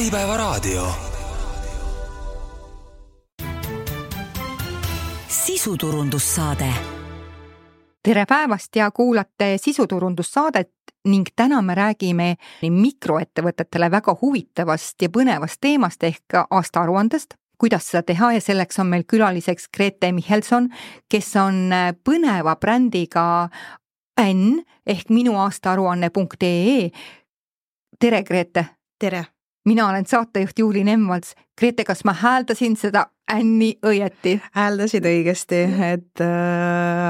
Äripäevaraadio. Sisuturundussaade. Tere päevast ja kuulate sisuturundussaadet ning täna me räägime mikroettevõtetele väga huvitavast ja põnevast teemast ehk aastaaruandest. Kuidas seda teha ja selleks on meil külaliseks Grete Michelson, kes on põneva brändiga N ehk minuaastaaruanne.ee. Tere, Grete! Tere! Mina olen saatejuht Juuli Nemvalts. Grete, kas ma hääldasin seda Anni õieti? Hääldasid õigesti, et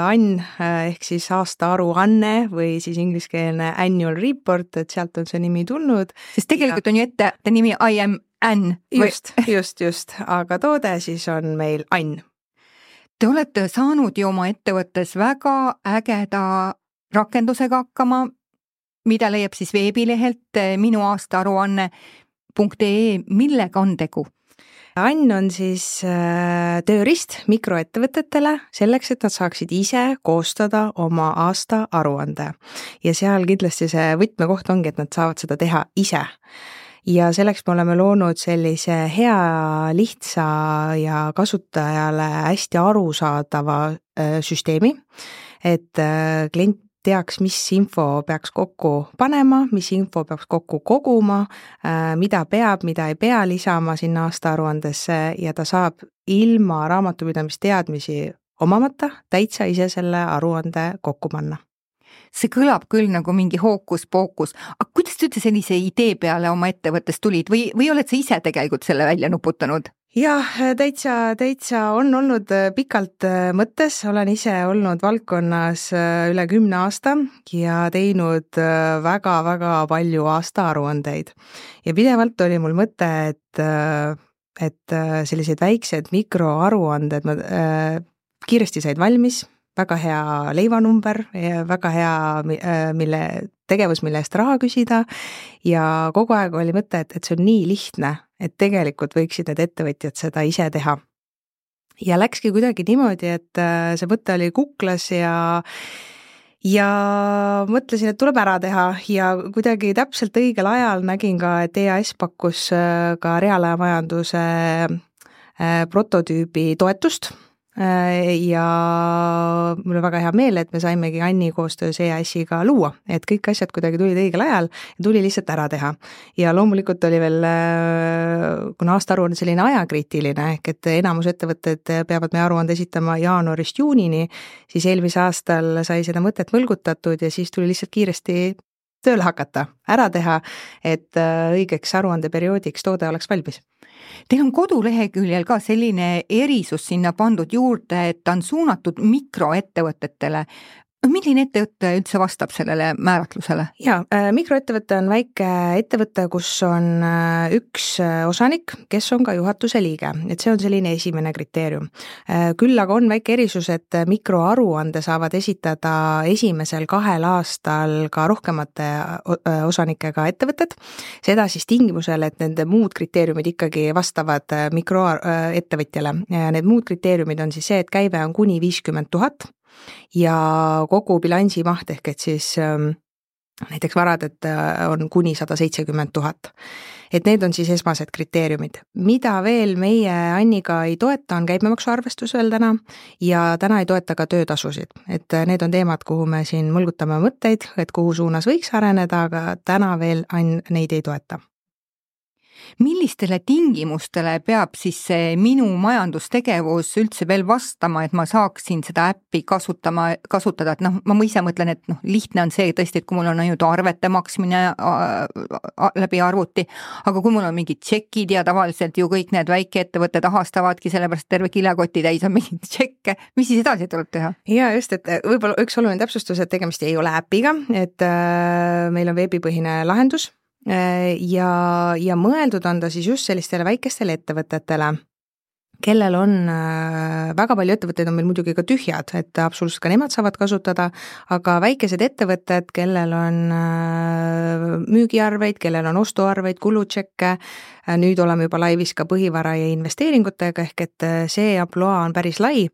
Ann ehk siis aastaaruanne või siis ingliskeelne annual report, et sealt on see nimi tulnud. Sest tegelikult on ju ette nimi I am Ann. Just, aga toode siis on meil Ann. Te olete saanud ju oma ettevõttes väga ägeda rakendusega hakkama, mida leiab siis veebilehelt minuaastaaruanne.ee. Millega on tegu? Ann on siis tööriist mikroettevõtetele selleks, et nad saaksid ise koostada oma aasta aruande. Ja seal kindlasti see võtmekoht ongi, et nad saavad seda teha ise. Ja selleks me oleme loonud sellise hea, lihtsa ja kasutajale hästi arusaadava süsteemi, et klient teaks, mis info peaks kokku panema, mis info peaks kokku koguma, mida peab, mida ei pea lisama sinna aastaaruandesse ja ta saab ilma raamatupidamisteadmisi omamata täitsa ise selle aruande kokku panna. See kõlab küll nagu mingi hookus-pookus, aga kuidas te üldse sellise idee peale oma ettevõttes tulid või oled sa ise tegelikult selle välja nuputanud? Jah, täitsa on olnud pikalt mõttes, olen ise olnud valdkonnas üle 10 aasta ja teinud väga-väga palju aastaaruandeid. Ja pidevalt oli mul mõte, et sellised väiksed mikroaruanded kiiresti said valmis, väga hea leivanumber, väga hea tegevus, mille eest raha küsida ja kogu aeg oli mõte, et see on nii lihtne, et tegelikult võiksid need ettevõtjad seda ise teha. Ja läkski kuidagi niimoodi, et see mõte oli kuklas ja mõtlesin, et tuleb ära teha ja kuidagi täpselt õigel ajal nägin ka, et EAS pakkus ka reaalajamajanduse prototüübi toetust. Ja mul on väga hea meel, et me saimegi Anni koostöös EAS-iga luua, et kõik asjad kuidagi tulid õigel ajal ja tuli lihtsalt ära teha. Ja loomulikult oli veel, kuna aastaaruanne selline ajakriitiline, ehk et enamus ettevõtted peavad meie aruande esitama jaanuarist juunini, siis eelmise aastal sai seda mõtet mõlgutatud ja siis tuli lihtsalt kiiresti tööle hakata, ära teha, et õigeks aruandeperioodiks toode oleks valmis. Teil on koduleheküljel ka selline erisus sinna pandud juurde, et ta on suunatud mikroettevõtetele. Milline ettevõte üldse vastab sellele määratlusele? Jaa, mikroettevõte on väike ettevõte, kus on üks osanik, kes on ka juhatuse liige, et see on selline esimene kriteerium. Küll aga on väike erisus, et mikroaruande saavad esitada esimesel 2 aastal ka rohkemate osanikega ettevõtted, seda siis tingimusel, et nende muud kriteeriumid ikkagi vastavad mikroettevõtjale. Need muud kriteeriumid on siis see, et käive on kuni 50 000 ja kogu bilansi maht ehk et siis näiteks varad, et on kuni 170 000. Et need on siis esmased kriteeriumid. Mida veel meie Anniga ei toeta, on käibemaksuarvestus veel täna ja täna ei toeta ka töötasusid. Et need on teemad, kuhu me siin mõlgutame mõtteid, et kuhu suunas võiks areneda, aga täna veel Ann neid ei toeta. Millistele tingimustele peab siis see minu majandustegevus üldse veel vastama, et ma saaksin seda äppi kasutada, et ma ise mõtlen, et lihtne on see tõesti, et kui mul on ainult arvete maksmine läbi arvuti, aga kui mul on mingid tšekid ja tavaliselt ju kõik need väikeettevõtted ahastavadki, sellepärast terve kilekoti täis on mingid tšekke, mis siis edasi tuleb teha? Ja just, et võib-olla üks oluline täpsustus, et tegemist ei ole äpiga, et meil on veebipõhine lahendus, ja mõeldud on ta siis just sellistele väikestele ettevõtetele, kellel on väga palju ettevõtteid on meil muidugi ka tühjad, et absoluutselt ka nemad saavad kasutada, aga väikesed ettevõtted, kellel on müügiarveid, kellel on ostuarveid, kulutšekke, nüüd oleme juba laivis ka põhivara ja investeeringutega, ehk et see ampluaa on päris lai.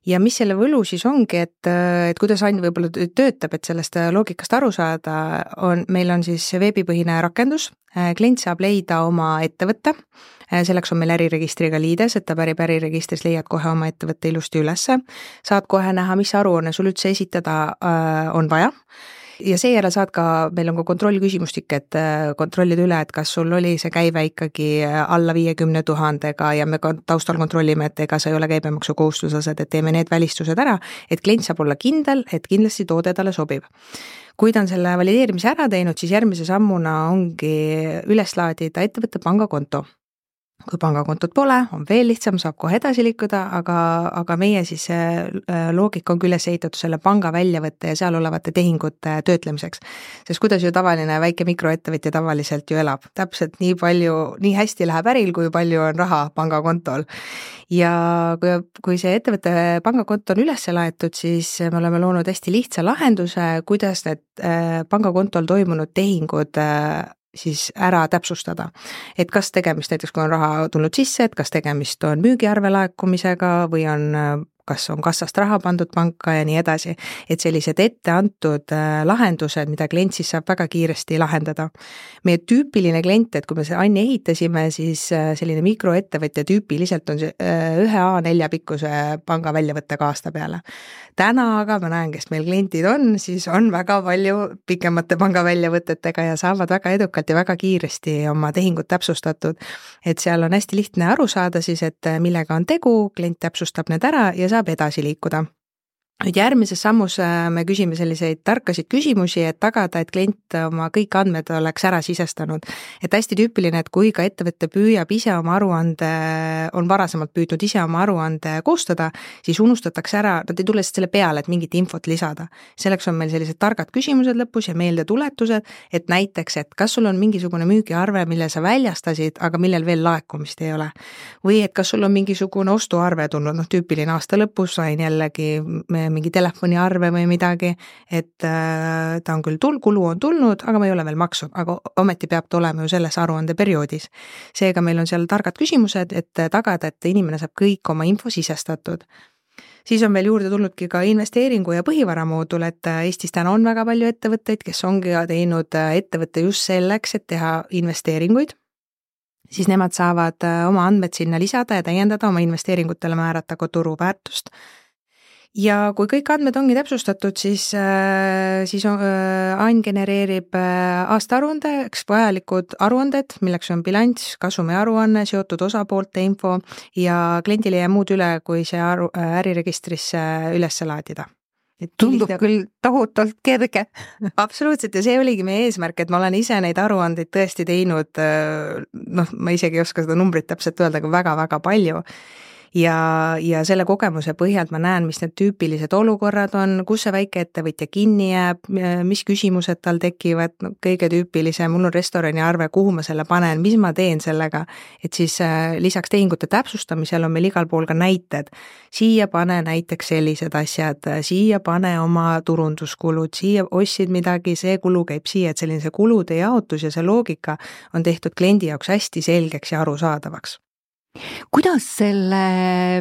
ja mis selle võlu siis ongi, et kuidas Ain võib-olla töötab, et sellest loogikast aru saada, meil on siis veebipõhine rakendus, klient saab leida oma ettevõtte, selleks on meil äriregistriga liides, et ta pärib äriregistris, leiad kohe oma ettevõtte ilusti ülesse, saad kohe näha, mis aruanne sul üldse esitada on vaja, ja seejärel saad ka, meil on ka kontrollküsimustik, et kontrollida üle, et kas sul oli see käive ikkagi alla 50 000 ja me taustal kontrollime, et ega sa ei ole käibemaksu kohustuslased, et teeme need välistused ära, et klient saab olla kindel, et kindlasti toode talle sobib. Kui ta on selle valideerimise ära teinud, siis järgmise sammuna ongi üles laadida ettevõtte pangakonto. Kui pangakontot pole, on veel lihtsam, saab kohe edasi liikuda, aga meie siis loogika on üles ehitatud selle panga väljavõtte ja seal olevate tehingute töötlemiseks. Sest kuidas ju tavaline väike mikroettevõtja tavaliselt ju elab, täpselt nii hästi läheb äril, kui palju on raha pangakontol. Ja kui see ettevõtte pangakonto on üles laetud, siis me oleme loonud hästi lihtsa lahenduse, kuidas need pangakontol toimunud tehingud siis ära täpsustada. Et kas tegemist näiteks, kui on raha tulnud sisse, et kas tegemist on müügiarve laekumisega või kas on kassast raha pandud panka ja nii edasi. Et sellised ette antud lahendused, mida klient siis saab väga kiiresti lahendada. Meie tüüpiline klient, et kui me see Anni ehitasime, siis selline mikroettevõtja tüüpiliselt on see 1 A4 pikkuse panga väljavõttega aasta peale. Täna aga ma näen, kes meil klientid on, siis on väga palju pikemate panga väljavõtetega ja saavad väga edukalt ja väga kiiresti oma tehingut täpsustatud. Et seal on hästi lihtne aru saada siis, et millega on tegu, klient täpsustab need ära ja saab edasi liikuda. Nüüd järgmises sammus me küsime selliseid tarkasid küsimusi, et tagada, et klient oma kõik andmed oleks ära sisestanud. Et hästi tüüpiline, et kui ka ettevõtte püüab ise oma aruande, on varasemalt püüdnud ise oma aruande koostada, siis unustatakse ära, nad ei tule selle peale, et mingit infot lisada. Selleks on meil sellised targad küsimused lõpus ja meeldetuletused, et näiteks, et kas sul on mingisugune müügiarve, mille sa väljastasid, aga millel veel laekumist ei ole. Või et kas sul on mingisugune ostuarve tulnud, tüüpiline aasta lõpus sain jällegi mingi telefoniarve või midagi, et ta on küll kulu on tulnud, aga ma ei ole veel maksnud, aga ometi peab ta olema ju selles aruande perioodis. Seega meil on seal targad küsimused, et tagada, et inimene saab kõik oma info sisestatud. Siis on veel juurde tulnudki ka investeeringu ja põhivaramoodul, et Eestis täna on väga palju ettevõtteid, kes ongi teinud ettevõtte just selleks, et teha investeeringuid. Siis nemad saavad oma andmed sinna lisada ja täiendada, oma investeeringutele määrata ka turuväärtust. Ja kui kõik andmed ongi täpsustatud, siis Ain genereerib aastaaruandeks vajalikud aruanded, milleks on bilanss, kasumi aruanne, seotud osapoolte info ja kliendile jääb muud üle, kui see äriregistrisse üles laadida. Tundub küll tohutult kerge. Absoluutselt ja see oligi meie eesmärk, et ma olen ise neid aruandeid tõesti teinud, ma isegi ei oska seda numbrit täpselt öelda, aga väga-väga palju. Ja selle kogemuse põhjalt ma näen, mis need tüüpilised olukorrad on, kus see väike ettevõtja kinni jääb, mis küsimused tal tekivad, kõige tüüpilise, mul on restorani arve, kuhu ma selle panen, mis ma teen sellega, et siis lisaks tehingute täpsustamisel on meil igal pool ka näited. Siia pane näiteks sellised asjad, siia pane oma turunduskulud, siia ostsid midagi, see kulu käib siia, et selline see kulude jaotus ja see loogika on tehtud kliendi jaoks hästi selgeks ja arusaadavaks. Kuidas selle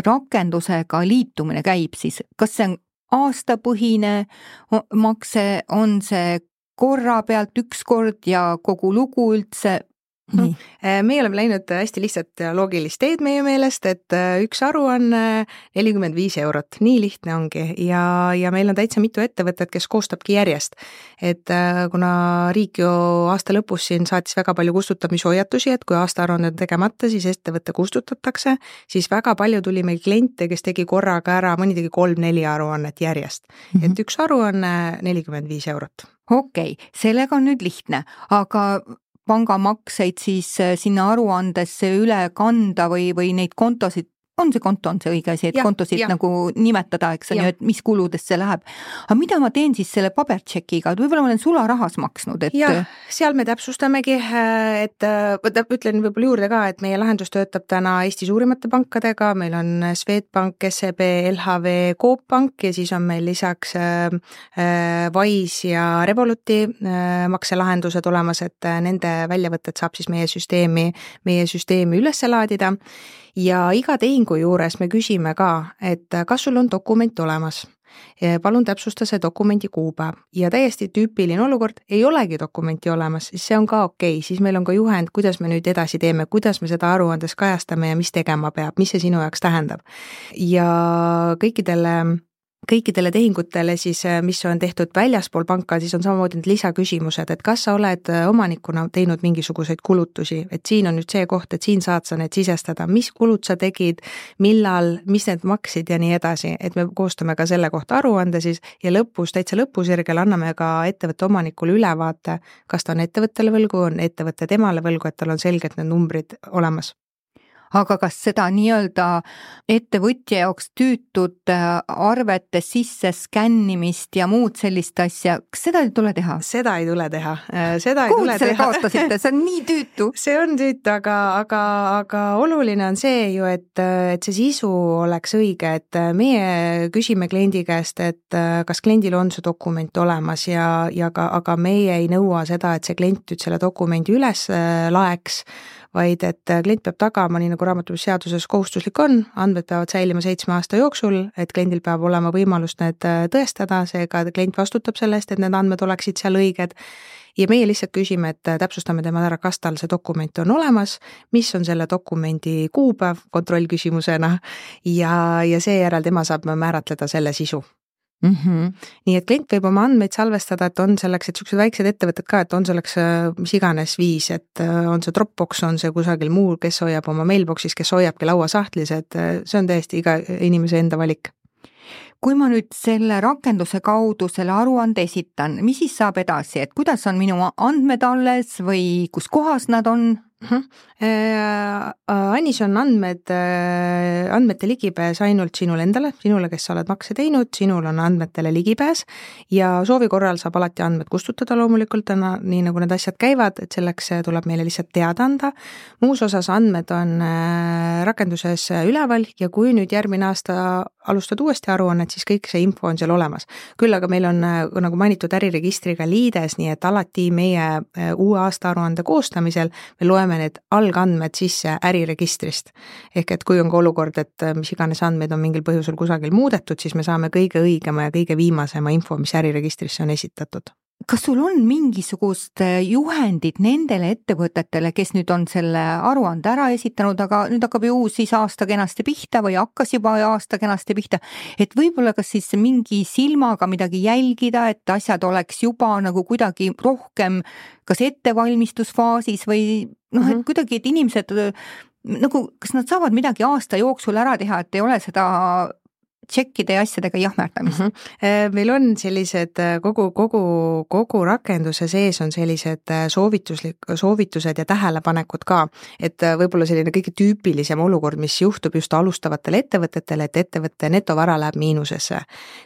rakendusega liitumine käib siis? Kas see on aastapõhine makse, on see korra pealt üks kord ja kogu lugu üldse? Meie oleme läinud hästi lihtsalt ja loogilist teed meie meelest, et üks aruanne 45 €, nii lihtne ongi ja meil on täitsa mitu ettevõtet, kes koostabki järjest, et kuna riik ju aasta lõpus siin saatis väga palju kustutamishoiatusi, et kui aastaaruanne on tegemata, siis ettevõtte kustutatakse, siis väga palju tuli meil kliente, kes tegi korraga ära, mõni tegi 3-4 aruannet järjest, et üks aruanne 45 €. Okei, sellega on nüüd lihtne, aga pangamakseid siis sinna aruandesse üle kanda või neid kontosid, on see õige asi, et kontosid nagu nimetada, eks on ju, et mis kuludest see läheb. Aga mida ma teen siis selle pabertšekiga, et võib-olla ma olen sularahas maksnud? Et... Ja, seal me täpsustamegi, et ütlen võib-olla juurde ka, et meie lahendus töötab täna Eesti suurimate pankadega, meil on Swedbank, SEB, LHV, Coop Pank ja siis on meil lisaks Wise ja Revoluti makselahendused olemas, et nende väljavõtted saab siis meie süsteemi üles laadida ja iga tehing tehingu juures me küsime ka, et kas sul on dokument olemas. Palun täpsusta see dokumendi kuupäev ja täiesti tüüpiline olukord, ei olegi dokumenti olemas, siis see on ka okei, siis meil on ka juhend, kuidas me nüüd edasi teeme, kuidas me seda aruandes kajastame ja mis tegema peab, mis see sinu jaoks tähendab. Ja kõikidele tehingutele siis, mis on tehtud väljaspool panka, siis on samamoodi need lisaküsimused, et kas sa oled omanikuna teinud mingisuguseid kulutusi, et siin on nüüd see koht, et siin saad sa need sisestada, mis kulud sa tegid, millal, mis need maksid ja nii edasi, et me koostame ka selle kohta aruande siis ja täitsa lõpusirgel anname ka ettevõtte omanikule ülevaate, kas ta on ettevõttele võlgu, on ettevõtte temale võlgu, et tal on selgelt need numbrid olemas. Aga kas seda nii-öelda ettevõtja jaoks tüütud arvete sisse skännimist ja muud sellist asja, kas seda ei tule teha? Seda ei tule teha. Kuhu selle kaotasite? See on nii tüütu. See on tüütu, aga oluline on see ju, et see sisu oleks õige, et meie küsime kliendi käest, et kas kliendil on see dokument olemas aga meie ei nõua seda, et see klient nüüd selle dokumendi üles laeks, vaid et klient peab tagama, nii nagu raamatupidamisseaduses kohustuslik on, andmed peavad säilima 7 aasta jooksul, et kliendil peab olema võimalus need tõestada, seega klient vastutab selle eest, et need andmed oleksid seal õiged. Ja meie lihtsalt küsime, et täpsustame tema ära, kas tal see dokument on olemas, mis on selle dokumendi kuupäev kontrollküsimusena ja seejärel tema saab määratleda selle sisu. Nii et klient võib oma andmeid salvestada, et on selleks, et sellised väiksed ettevõtted ka, et on selleks mis iganes viis, et on see Dropbox, on see kusagil muu, kes hoiab oma mailboxis, kes hoiabki lauasahtlis, et see on täiesti iga inimese enda valik. Kui ma nüüd selle rakenduse kaudu selle aruande esitan, mis siis saab edasi, et kuidas on minu andmed alles või kus kohas nad on? Annis on andmete ligipääs ainult sinule endale, sinule, kes sa oled makse teinud, sinul on andmetele ligipääs ja soovi korral saab alati andmed kustutada loomulikult, nii nagu need asjad käivad, et selleks tuleb meile lihtsalt teada anda. Muus osas andmed on rakenduses üleval ja kui nüüd järgmine aasta alustad uuesti aruannet, siis kõik see info on seal olemas. Küll aga meil on, nagu mainitud, äriregistriga liides, nii et alati meie uue aasta aruande koostamisel me loeme need algandmed sisse äriregistrist. Ehk et kui on ka olukord, et mis iganes andmeid on mingil põhjusel kusagil muudetud, siis me saame kõige õigema ja kõige viimasema info, mis äriregistrisse on esitatud. Kas sul on mingisugust juhendid nendele ettevõtetele, kes nüüd on selle aruande ära esitanud, aga nüüd hakkab ju uus siis aasta kenasti pihta või hakkas juba aasta kenasti pihta, et võib-olla kas siis mingi silmaga midagi jälgida, et asjad oleks juba nagu kuidagi rohkem kas ettevalmistusfaasis või et kuidagi, et inimesed nagu, kas nad saavad midagi aasta jooksul ära teha, et ei ole seda tšekkide ja asjadega jahmerdamist. Meil on sellised kogu rakenduse sees on sellised soovitused ja tähelepanekud ka, et võib-olla selline kõige tüüpilisem olukord, mis juhtub just alustavatele ettevõtetele, et ettevõtte netovara läheb miinusesse.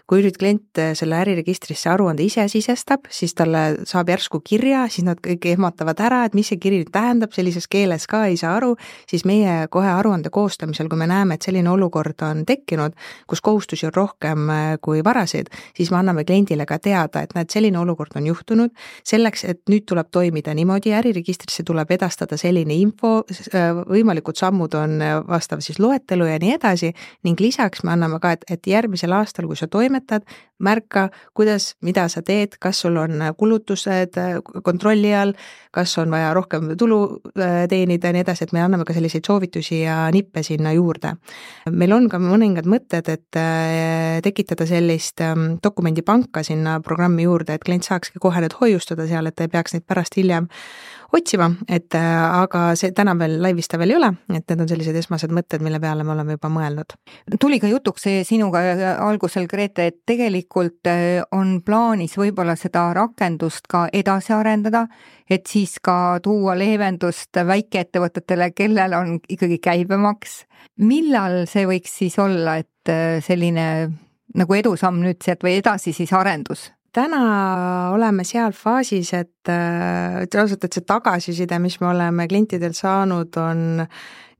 Kui nüüd klient selle äriregistrisse aruande ise sisestab, siis talle saab järsku kirja, siis nad kõik ehmatavad ära, et mis see kiri tähendab, sellises keeles ka ei saa aru, siis meie kohe aruande koostamisel, kui me näeme, et selline olukord on tekkinud, kus kohustusi on rohkem kui varasid, siis me anname kliendile ka teada, et näed, selline olukord on juhtunud, selleks, et nüüd tuleb toimida niimoodi, äriregistrisse tuleb edastada selline info, võimalikud sammud on vastav siis loetelu ja nii edasi, ning lisaks me anname ka, et järgmisel aastal, kui sa toimetad, märka, kuidas, mida sa teed, kas sul on kulutused kontrolli all, kas on vaja rohkem tulu teenida ja nii edasi, et me anname ka selliseid soovitusi ja nippe sinna juurde. Meil on ka mõningad mõtted, et tekitada sellist dokumendipanka sinna programmi juurde, et klient saakski kohe need hoiustada seal, et ei peaks neid pärast hiljem otsima, aga see täna veel laivista veel ei ole, et need on sellised esmased mõtted, mille peale me oleme juba mõelnud. Tuli ka jutuks sinuga algusel, Grete, et tegelikult on plaanis võib-olla seda rakendust ka edasi arendada, et siis ka tuua leevendust väikeettevõtetele, kellel on ikkagi käibemaks. Millal see võiks siis olla, et selline nagu edusamm nüüd sealt või edasi siis arendus? Täna oleme seal faasis, et see tagasiside, mis me oleme klientidel saanud, on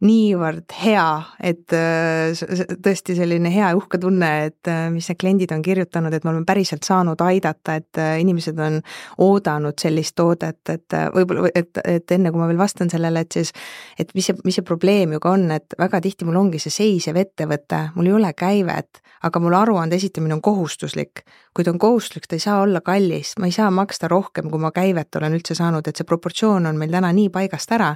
niivõrd hea, et tõesti selline hea ja uhke tunne, et mis need kliendid on kirjutanud, et me oleme päriselt saanud aidata, et inimesed on oodanud sellist toodet, et võib-olla, et enne kui ma veel vastan sellele, et siis, et mis see probleem ju ka on, et väga tihti mul ongi see seisev ettevõte, mul ei ole käivet, aga mul aruande esitamine on kohustuslik. Kui ta on kohustuslik, ta ei saa olla kallis, ma ei saa maksta rohkem, kui ma käivet olen üldse saanud, et see proportsioon on meil täna nii paigast ära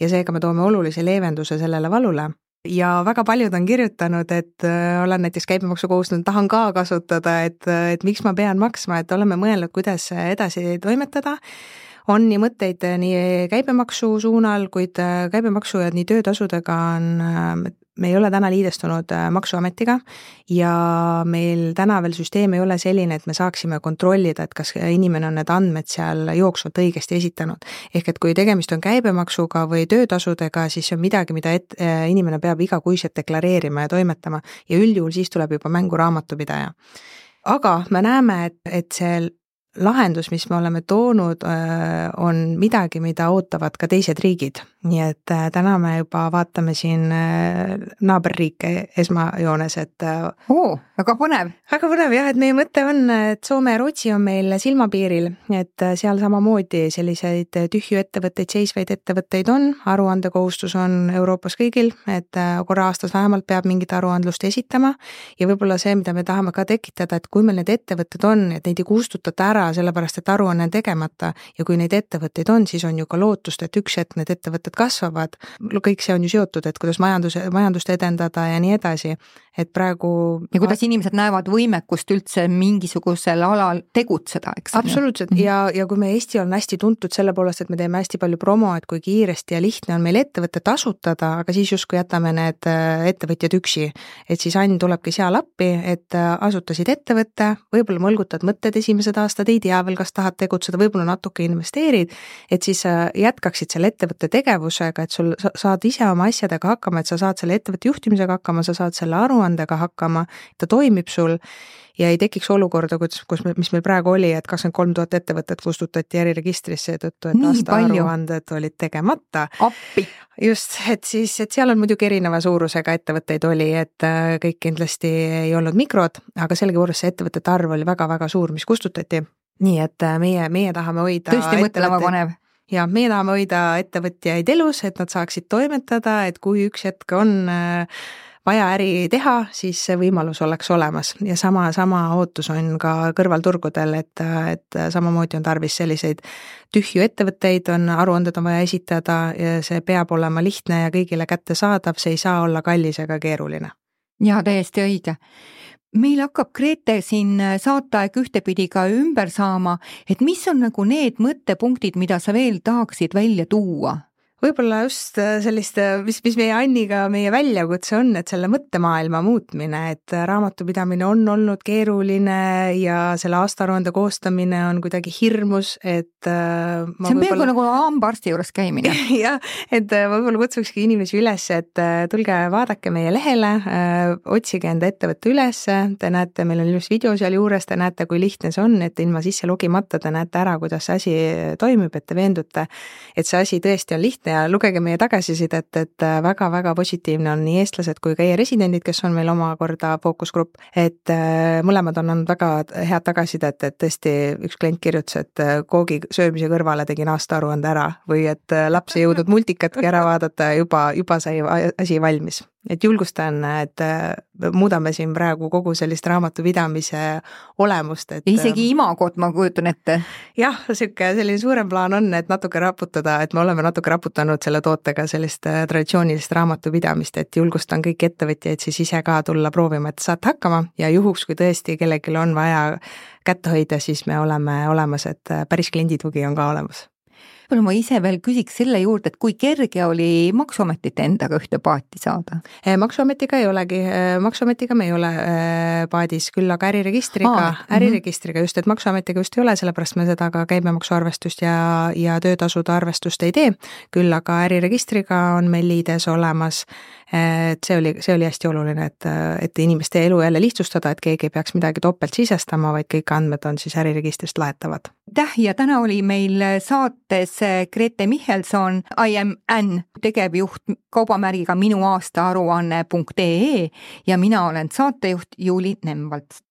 ja seega me toome olulise leevenduse sellele valule. Ja väga paljud on kirjutanud, et olen näiteks käibemaksu kohustusnud, tahan ka kasutada, et miks ma pean maksma, et oleme mõelnud, kuidas edasi toimetada. On nii mõtteid nii käibemaksu suunal, kuid käibemaksu ja nii töötasudega me ei ole täna liidestunud maksuametiga ja meil täna veel süsteem ei ole selline, et me saaksime kontrollida, et kas inimene on need andmed seal jooksvalt õigesti esitanud. Ehk et kui tegemist on käibemaksuga või töötasudega, siis see on midagi, mida inimene peab igakuiselt deklareerima ja toimetama ja üldjuhul siis tuleb juba mängu raamatupidaja. Aga me näeme, et see lahendus, mis me oleme toonud, on midagi, mida ootavad ka teised riigid. Nii et täna me juba vaatame siin naaberriike esmajoones, et väga põnev. Väga põnev jah, et meie mõte on, et Soome ja Rootsi on meil silmapiiril, et seal samamoodi selliseid tühju ettevõtteid, seisvaid ettevõtteid on, aruandekohustus on Euroopas kõigil, et korra aastas vähemalt peab mingit aruandlust esitama ja võib-olla see, mida me tahame ka tekitada, et kui meil need ettevõtted on, et neid ei kustutata ära, sellepärast et aruanne on tegemata ja kui neid ettevõtteid on, siis on ju ka lootust, et üks hetk need ettevõtted kasvavad. Kõik see on ju seotud, et kuidas majandust edendada ja nii edasi. Et praegu... Ja kuidas inimesed näevad võimekust üldse mingisugusel alal tegutseda, eks? Absoluutselt. Ja kui me Eesti on hästi tuntud selle poolest, et me teeme hästi palju promo, et kui kiiresti ja lihtne on meil ettevõtted asutada, aga siis justkui jätame need ettevõtjad üksi. Et siis Ann tulebki seal appi, et asutasid ettevõtte, võib-olla mõlgutad mõtted esimesed aastad, ei tea veel, kas tahad tegutseda, võib-olla natuke investeerid, et siis jätkaksid selle ettevõtte tegevusega, et sul saad ise oma asjadega hakkama, et sa saad selle ettevõtte juhtimisega hakkama, sa saad selle aruandega hakkama, ta toimib sul ja ei tekiks olukorda, mis meil praegu oli, et 23 000 ettevõtet kustutati äriregistrisse seetõttu, et aastaaruanded olid tegemata. Appi. Just, et seal on muidugi erineva suurusega ettevõtteid oli, et kõik kindlasti ei olnud mikrod, aga sellegipoolest see ettevõtete arv oli väga-väga suur, mis kustutati. Nii et meie tahame hoida... Tõesti mõtlema panev. Ja meie tahame hoida ettevõtjaid elus, et nad saaksid toimetada, et kui üks hetk on vaja äri teha, siis see võimalus oleks olemas ja sama ootus on ka kõrvalturgudel, et samamoodi on tarvis selliseid tühju ettevõtteid, aruanded on vaja esitada ja see peab olema lihtne ja kõigile kättesaadav, see ei saa olla kallis ega keeruline. Ja täiesti õige. Meil hakkab Grete siin saateaeg ühtepidi ka ümber saama, et mis on nagu need mõttepunktid, mida sa veel tahaksid välja tuua? Võib-olla just sellist, mis meie Anniga meie väljakutse on, et selle mõttemaailma muutmine, et raamatupidamine on olnud keeruline ja selle aastaaruande koostamine on kuidagi hirmus, et see on peaaegu nagu hambaarsti juures käimine. Ja, et võib-olla kutsukski inimesi üles, et tulge vaadake meie lehele, otsige enda ettevõtte üles, te näete, meil on ilus video seal juures, te näete, kui lihtne see on, et ilma sisse logimata te näete ära, kuidas see asi toimib, et te veendute, et see asi tõesti on lihtne ja lugege meie tagasisidet, et väga-väga positiivne on nii eestlased kui ka e-residendid, kes on meil omakorda fookusgrupp, et mõlemad on andnud väga head tagasisidet, et tõesti üks klient kirjutas, et koogi söömise kõrvale tegin aastaaruande ära või et laps ei jõudnud multikatki ära vaadata ja juba sai asi valmis. Et julgustan, et muudame siin praegu kogu sellist raamatupidamise olemust. Et isegi imagot ma kujutan ette. Jah, selline suurem plaan on, et natuke raputada, et me oleme natuke raputanud selle tootega sellist traditsioonilist raamatupidamist, et julgustan kõik ettevõtjaid siis ise ka tulla proovima, et saate hakkama ja juhuks, kui tõesti kellelgi on vaja kätte hoida, siis me oleme olemas, et päris klienditugi on ka olemas. Ma ise veel küsiks selle juurde, et kui kerge oli Maksuametit endaga ühte paati saada? Maksuametiga ei olegi, Maksuametiga me ei ole paadis, küll aga äriregistriga just, et Maksuametiga just ei ole, sellepärast me seda ka käibemaksuarvestust ja töötasude arvestust ei tee, küll aga äriregistriga on meil liides olemas, et see oli hästi oluline, et inimeste elu jälle lihtsustada, et keegi ei peaks midagi topelt sisestama, vaid kõik andmed on siis äriregistrist laetavad. Ja täna oli meil saates Grete Michelson, I am Ann, tegevjuht kaubamärgiga minuaastaaruanne.ee ja mina olen saatejuht Juuli Nemvalts.